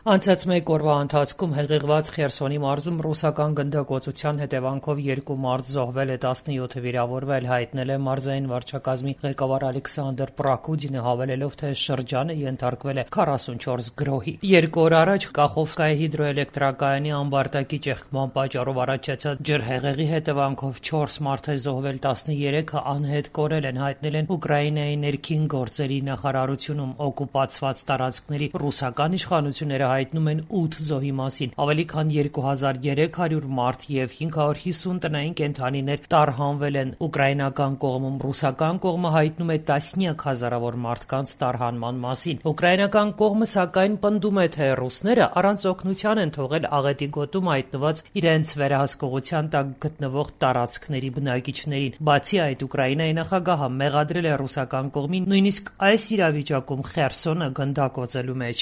Անցած մեկ օրվա ընթացքում հեղեղված Խերսոնի մարզում ռուսական գնդակոծության հետևանքով 2 մարդ զոհվել է, 17-ը վիրավորվել, հայտնել է մարզային վարչակազմի ղեկավար Ալեքսանդր Պրակուդինը, հավելելով, թե շրջանը ենթարկվել է 44 գրոհի։ 2 օր առաջ Կախովկայի հիդրոէլեկտրակայանի ամբարտակի ճեղքման պատճառով առաջացած ջրհեղեղի հետևանքով 4 մարդ է զոհվել, 13-ը անհետ կորել են, հայտնել են Ուկրաինայի ներքին գործերի նախարարությունում։ Օկուպացված տարածքների ռուսական իշխանությունները հայտնում են 8 զոհի մասին, ավելի քան 2300 մարդ եւ 550 տնային կենդանիներ տարհանվել են։ Ուկրաինական կողմում ռուսական կողմը հայտնում է տասնյակ հազարավոր մարդկանց տարհանման մասին։ Ուկրաինական կողմը սակայն պնդում է, թե ռուսները առանց օգնության են թողել աղետի գոտում հայտնված իրենց վերահսկողության տակ գտնվող տարածքների բնակիչներին։ Բացի այդ, Ուկրաինայի նախագահը մեղադրել է ռուսական կողմին նույնիսկ այս իրավիճակում Խերսոնը գնդակոծելու մեջ։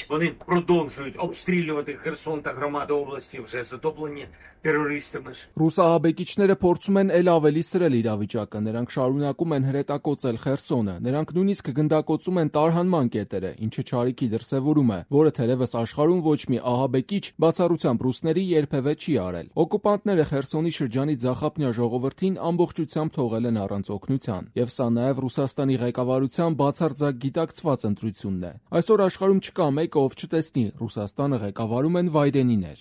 Обстрілювати Херсон та громади області вже затоплені террористами. Ռուսահաբեկիչները փորձում են ել ավելի սրել իրավիճակը, նրանք շարունակում են հրետակոծել Խերսոնը, նրանք նույնիսկ գնդակոծում են տարհանման կետերը, ինչը չարիքի դրսևորում է, որը թերևս աշխարհում ոչ մի ահաբեկիչ բացառությամբ ռուսների երբևէ չի արել։ Օկուպանտները Խերսոնի շրջանի ձախապնյա ժողովրդին ամբողջությամբ թողել են առանց օգնության, եւ սա նաեւ Ռուսաստանի ղեկավարության բացարձակ գիտակցված ընտրությունն է։ Այսօր աշխարհում չկա մեկը, ով չտեսնի Ռուսաստանը ղեկավարում են վայրենիներ։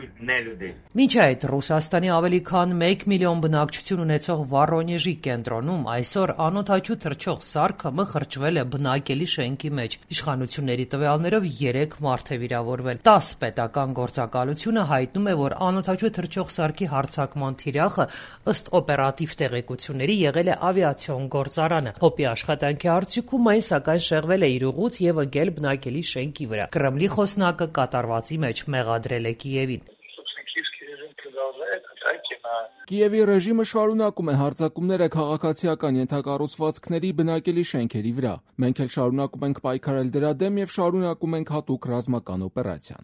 Մինչ այդ Ռուսաստանի ավելի քան 1 միլիոն բնակչություն ունեցող Վորոնեժի կենտրոնում այսօր անօդաչու թռչող սարքը մխրճվել է բնակելի շենքի մեջ։ Իշխանությունների տվյալներով 3 մարդ է վիրավորվել։ 10 պետական գործակալությունը հայտնում է, որ անօդաչու թռչող սարքի հարձակման թիրախը ըստ օպերատիվ տեղեկությունների եղել է ավիացիոն գործարանը։ ՀՕՊ-ի աշխատանքի արդյունքում այն սակայն շեղվել է իր ուղուց եւ ընկել բնակելի շենքի վրա։ Կրեմլի խոսնակը կատարվածի մեջ մեղադրել է Կիևին։ Կիևի ռեժիմը շարունակում է հարձակումները քաղաքացիական ենթակառուցվածքների, բնակելի շենքերի վրա։ Մենք էլ շարունակում ենք պայքարել դրա դեմ եւ շարունակում ենք հատուկ ռազմական օպերացիան։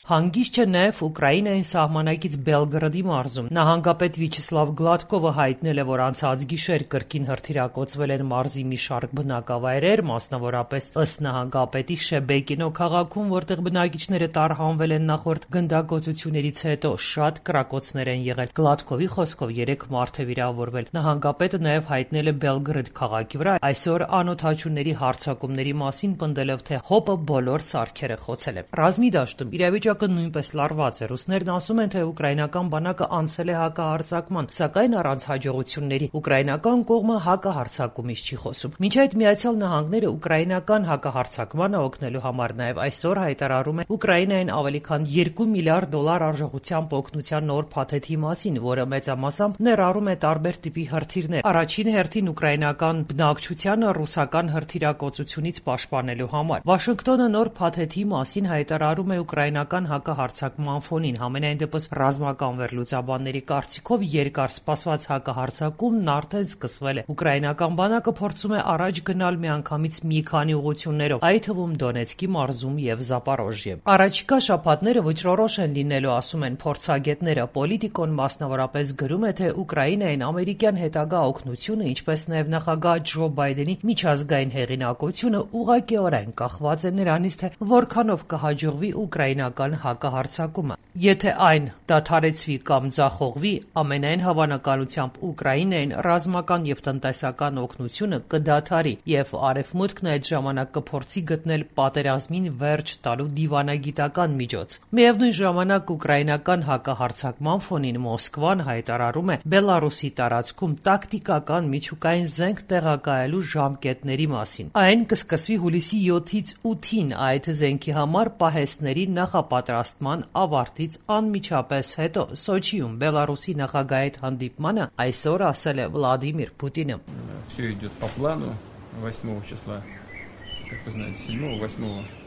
Հանգիստ չէ նաև Ուկրաինային սահմանակից Բելգրադի մարզում։ Նահանգապետ Վիչեսլավ Գլադկովը հայտնել է, որ անցած գիշեր կրկին հրթիռակոծվել են մարզի մի շարք բնակավայրեր, մասնավորապես ըստ նահանգապետի Շեբեկինո քաղաքում, որտեղ բնակիչները տարհանվել են նախորդ գնդակոծություններից հետո, շատ կրակոցներ են եղել։ Գլադկովի խոսքով 3 մարդ է վիրավորվել։ Նահանգապետը նաև հայտնել է Բելգրադ քաղաքի վրա այսօր անօդաչուների հարձակումների մասին, պնդելով, թե ՀՕՊ-ը բոլոր սարքերը խոցել է։ Ռազմի դաշտում իրավիճակը նույնպես լարված է։ Ռուսներն ասում են, թե ուկրաինական բանակը անցել է հակահարձակման, սակայն առանց հաջողությունների։ Ուկրաինական կողմը հակահարձակումից չի խոսում։ Մինչ այդ Միացյալ Նահանգները ուկրաինական հակահարձակմանը օգնելու համար նաև այսօր հայտարարում է Ուկրաինային ավելի քան $2 միլիարդ արժողությամբ օգնության նոր փաթեթի մասին, որը մեծամասամբ ներառում է տարբեր տիպի հրթիռներ։ Առաջին հերթին ուկրաինական բնակչությանը ռուսական հրթիռակոծությունից պաշտպանելու համար։ Վաշինգտոնը նոր փաթեթի մասին հայտարարում է ուկրաինական հակահարձակման ֆոնին։ Համենայն դեպս ռազմական վերլուծաբանների կարծիքով երկար սպասված հակահարձակումն արդեն սկսվել է։ Ուկրաինական բանակը փորձում է առաջ գնալ միանգամից մի քանի ուղղություններով, այդ թվում Դոնեցկի մարզում եւ Զապորոժիե։ Առաջիկա շաբաթները վճռորոշ են լինելու, ասում են փորձագետները։ Պոլիտիկոն մասնավորապես գրում է, թե Ուկրաինային ամերիկյան հետագա օգնությունը, ինչպես նաեւ նախագահ Ջո Բայդենի միջազգային հեղինակությունը ուղղակիորեն կախված է նրանից, թե որքանով կհաջողվի ուկրաինական հակահարձակումը։ Եթե այն դադարեցվի կամ ձախողվի, ամենայն հավանականությամբ Ուկրաինային ռազմական եւ տնտեսական օգնությունը կդադարի եւ Արևմուտքն այդ ժամանակ կփորձի գտնել պատերազմին վերջ տալու դիվանագիտական միջոց։ Միևնույն ժամանակ ուկրաինական հակահարձակման ֆոնին Մոսկվան հայտարարում է Բելարուսի տարածքում տակտիկական միջուկային զենք տեղակայելու ժամկետների մասին։ Այն կսկսվի հուլիսի 7-ից 8-ին այդ զենքի համար պահեստների նախապատրաստման ավարտից անմիջապես հետո Սոչիում Բելարուսի նախագահի հետ հանդիպմանը այսօր ասել է Վլադիմիր Պուտինը։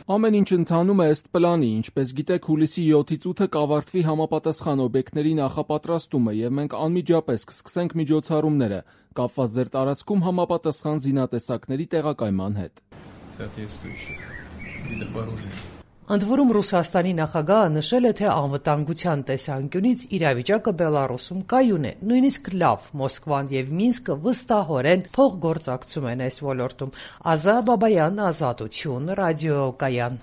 Ամեն ինչ ընթանում է ըստ պլանի, ինչպես գիտեք, հուլիսի 7-ից 8-ը կավարտվի համապատասխան օբյեկտների նախապատրաստումը եւ մենք անմիջապես կսկսենք միջոցառումները կապված ձեր տարածքում համապատասխան զինատեսակների տեղակայման հետ։ Ընդ որում Ռուսաստանի նախագահը նշել է, թե անվտանգության տեսանկյունից իրավիճակը Բելարուսում կայուն է, նույնիսկ լավ, Մոսկվան եւ Մինսկը վստահորեն փոխգործակցում են այս ոլորտում։ Ազա Բաբայան, Ազատություն, ռադիոկայան։